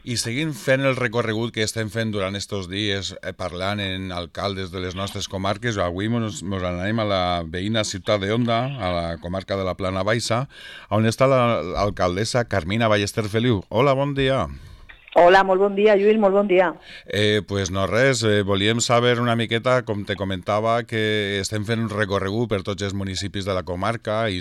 I seguint fent el recorregut que estem fent durant estos dies, parlant en alcaldes de les nostres comarques, avui mos anem a la veïna ciutat d'Onda, a la comarca de la Plana Baixa, on està l'alcaldessa Carmina Ballester Feliu. Hola, bon dia. Hola, molt bon dia, Lluís, molt bon dia. Pues no res, volíem saber una miqueta, com te comentava, que estem fent un recorregut per tots els municipis de la comarca i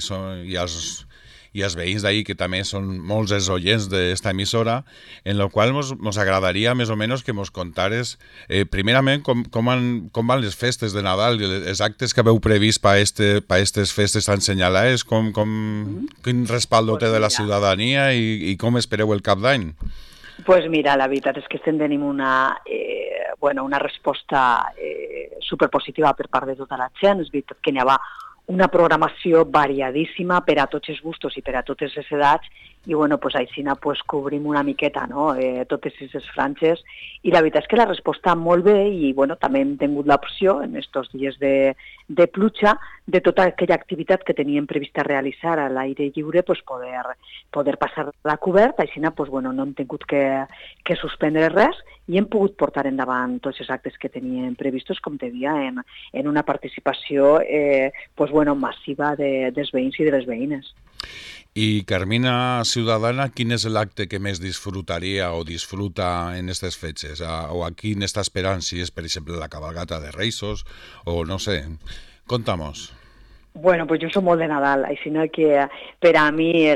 els veïns d'ahir, que també són molts els oients d'esta emissora, en la qual mos agradaria més o menys que mos contares, primerament, com van les festes de Nadal, els actes que haveu previst per aquestes festes tan senyalades, quin respaldo té de la ciutadania i com espereu el cap d'any? Pues mira, la veritat és que estem tenint una resposta superpositiva per part de tota la gent. És veritat que n'hi ha una programació variadíssima per a tots els gustos i per a totes les edats, i pues, així cobrim una miqueta, no? Totes aquestes franges, i la veritat és que la resposta molt bé, i també hem tingut l'opció en aquests dies de pluja de tota aquella activitat que teníem prevista realitzar a l'aire lliure, poder passar-la cobert. Així no hem tingut que suspendre res i hem pogut portar endavant tots els actes que teníem previstos, com te dia, en una participació massiva dels veïns i de les veïnes. I Carmina Ciudadana, quin és l'acte que més disfrutaria o disfruta en aquestes fetges? O a quin està esperant, si és, per exemple, la cabalgata de Reis o no sé. Contamos. Pues jo soc molt de Nadal, així que per a mi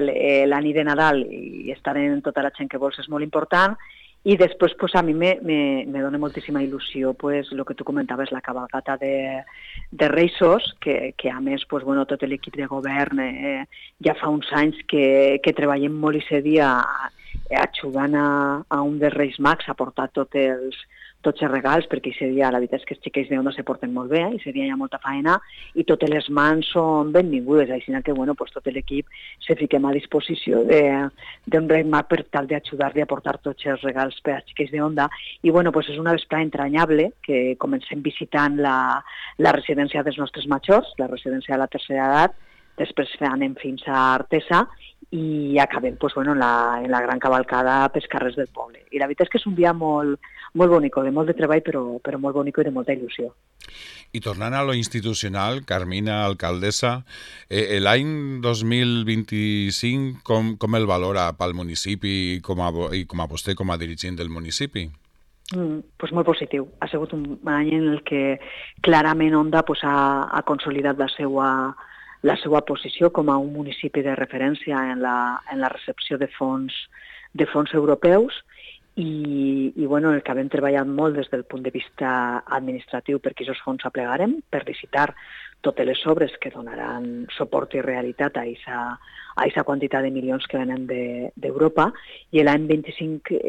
la nit de Nadal i estar en tota la gent que vols és molt important. I després a mi me dona moltíssima il·lusió el que tu comentaves, la cabalgata de Reis, que a més tot l'equip de govern ja fa uns anys que treballem molt i dia ajudant a un dels Reis Mags a portar tots els regals, perquè aquest dia la veritat és que els xiquets d'Onda se porten molt bé, aquest dia hi ha molta feina i totes les mans són benvingudes, així que tot l'equip se fiquem a disposició d'un Rei Mag per tal d'ajudar-li a portar tots els regals per als xiquets d'Onda. I és una vesprada entranyable que comencem visitant la residència dels nostres majors, la residència de la tercera edat, després anem fins a Artesa i acabem en la gran cavalcada pels carrers del poble. I la veritat és que és un dia molt bonic, de molt de treball, però molt bonic i de molta il·lusió. I tornant a lo institucional, Carmina, alcaldessa, l'any 2025 com el valora pel municipi i com a vostè com a dirigent del municipi? Molt positiu. Ha sigut un any en el que clarament Onda ha consolidat la seva posició com a un municipi de referència en la recepció de fons europeus i el que hem treballat molt des del punt de vista administratiu perquè aquests fons aplegarem, per licitar totes les obres que donaran suport i realitat a aquesta quantitat de milions que venen d'Europa, i l'any 25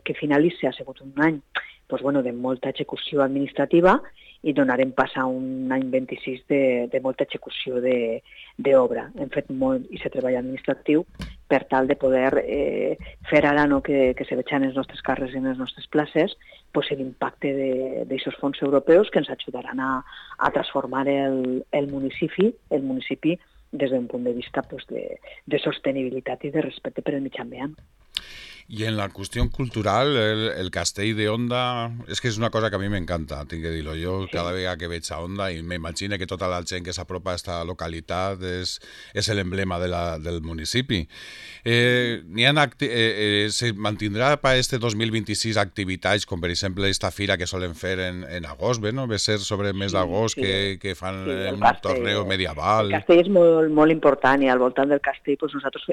que finalitza ha sigut un any de molta execució administrativa i donarem pas a un any 26 de molta execució d'obra. Hem fet molt i treball administratiu per tal de poder fer ara que se vegin els nostres carrers i les nostres places l'impacte d'aquests fons europeus que ens ajudaran a transformar el municipi des d'un punt de vista de sostenibilitat i de respecte per al mitjà ambient. I en la qüestió cultural, el castell d'Onda, és que és una cosa que a mi m'encanta, tinc que dir-ho. Jo cada vegada que veig a Onda i m'imagino que tota la gent que s'apropa a aquesta localitat és l'emblema del municipi. Se mantindrà per este 2026 activitats com per exemple esta fira que solen fer en agost, no? Ve ser sobre el mes d'agost que fan un torneo medieval. El castell és molt important i al voltant del castell nosaltres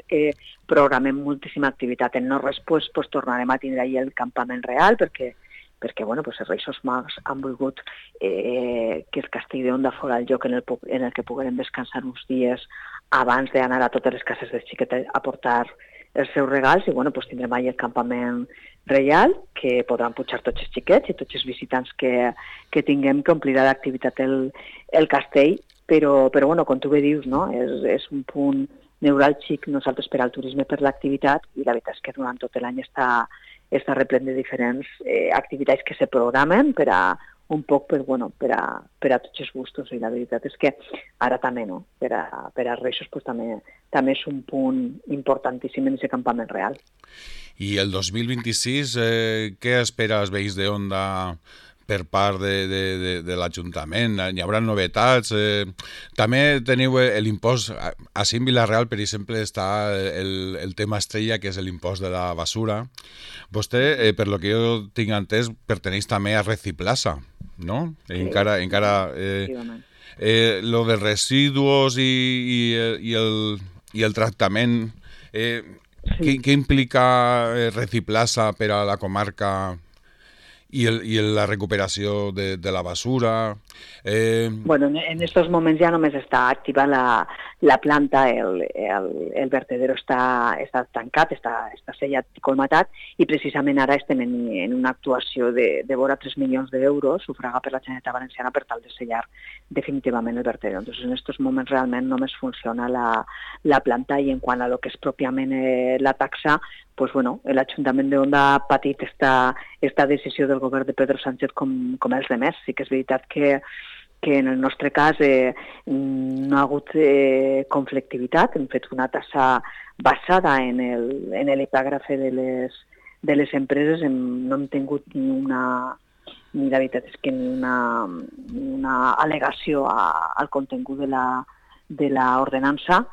programem moltíssima activitat. En no res tornarem a tindre ahir el campament real perquè els Reis Mags han volgut que el castell d'Onda fos el lloc en el que poguérem descansar uns dies abans d'anar a totes les cases de xiquet a portar els seus regals i tindrem ahir el campament reial que podran pujar tots els xiquets i tots els visitants que tinguem, que omplirà d'activitat el castell, però com tu bé dius, no? És un punt neuràlgic nosaltres per al turisme, per l'activitat, i la veritat és que durant tot l'any està replent de diferents activitats que se programen per a un poc per a tots els gustos, i la veritat és que ara també, no? Per a Reixos pues, també és un punt importantíssim en aquest campament real. I el 2026, què espera els veïns d'Onda per part de l'Ajuntament? Hi haurà novetats? També teniu l'impost, a Cim Vila-real, per exemple, està el tema estrella, que és l'impost de la basura. Vostè, per lo que jo tinc entès, perteneix també a Reciplaza, no? Sí, encara lo de residuos i el tractament, què implica Reciplaza per a la comarca i la recuperació de la basura? Bueno, en estos moments ja només està activa la planta, el vertedero està tancat, està sellat i colmatat, i precisament ara estem en una actuació de vora 3 milions d'euros sufragat per la Generalitat Valenciana per tal de sellar definitivament el vertedero. Entonces, en estos moments realment només funciona la planta, i en quant a lo que és pròpiament la taxa, pues bueno, l'Ajuntament d'Onda ha patit esta decisió del govern de Pedro Sánchez com els demés. Sí que és veritat que en el nostre cas no ha hagut conflictivitat, hem fet una tassa basada en l'epígrafe de les empreses, no hem tingut ni la veritat és que ni una al·legació al contingut de l'ordenança,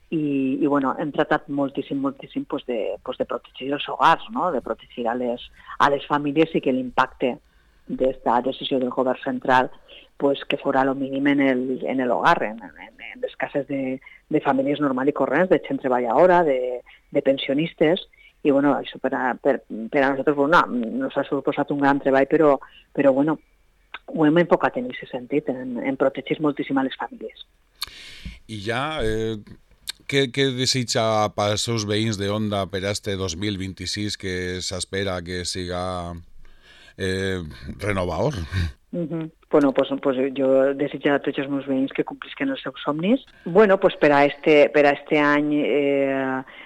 i bueno, hem tratat moltíssim pues de protegir els hogars, no? De protegir a les famílies, i que l'impacte d'esta decisió del govern central pues que fora lo mínim en l'hogar, en les cases de famílies normal i corrents, de gent treballadora, de pensionistes, i bueno, això per a nosaltres bueno, nos ha suposat un gran treball, però bueno, ho hem enfocat en aquest sentit, en protegir moltíssim a les famílies. I ja, què desitja pels seus veïns d'Onda per a este 2026, que s'espera que siga renovador? Bueno, pues jo desitjo a tots els meus veïns que complisquen els seus somnis. Bueno, pues per a este any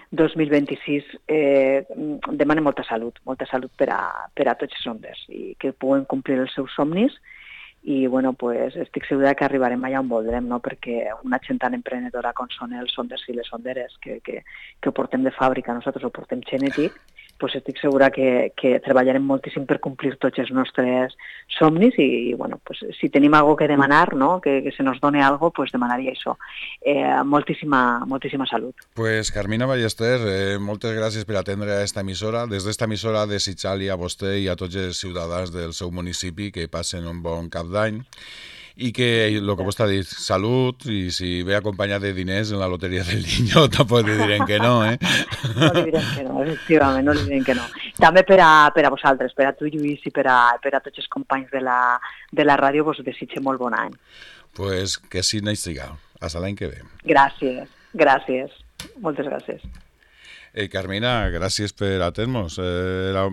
2026 demanem molta salut per a tots els ondes, i que puguen complir els seus somnis, i bueno, pues estic segura que arribarem allà on voldrem, no? Perquè una gent tan emprenedora com són els onders i les onderes, que ho portem de fàbrica, nosaltres ho portem genètic, pues estic segura que treballarem moltíssim per complir tots els nostres somnis, i bueno, pues si tenim alguna cosa que demanar, no? Que se nos done alguna cosa, pues demanaria això. Moltíssima salut. Pues Carmina Ballester, moltes gràcies per atendre a esta emissora. Des d'esta emissora desitjar-li a vostè i a tots els ciutadans del seu municipi que passen un bon cap d'any, i que el que vostè ha dit, salut, i si ve acompanyat de diners en la loteria del Niño tampoc li direm que no, eh? No li direm que no, efectivament, no li direm que no. També per a vosaltres, per a tu, Lluís, i per a tots els companys de la ràdio, vos desitge molt bon any. Pues que sí n'hi siga. Hasta l'any que ve. Gràcies. Moltes gràcies. Carmina, gràcies per atendre-nos. Era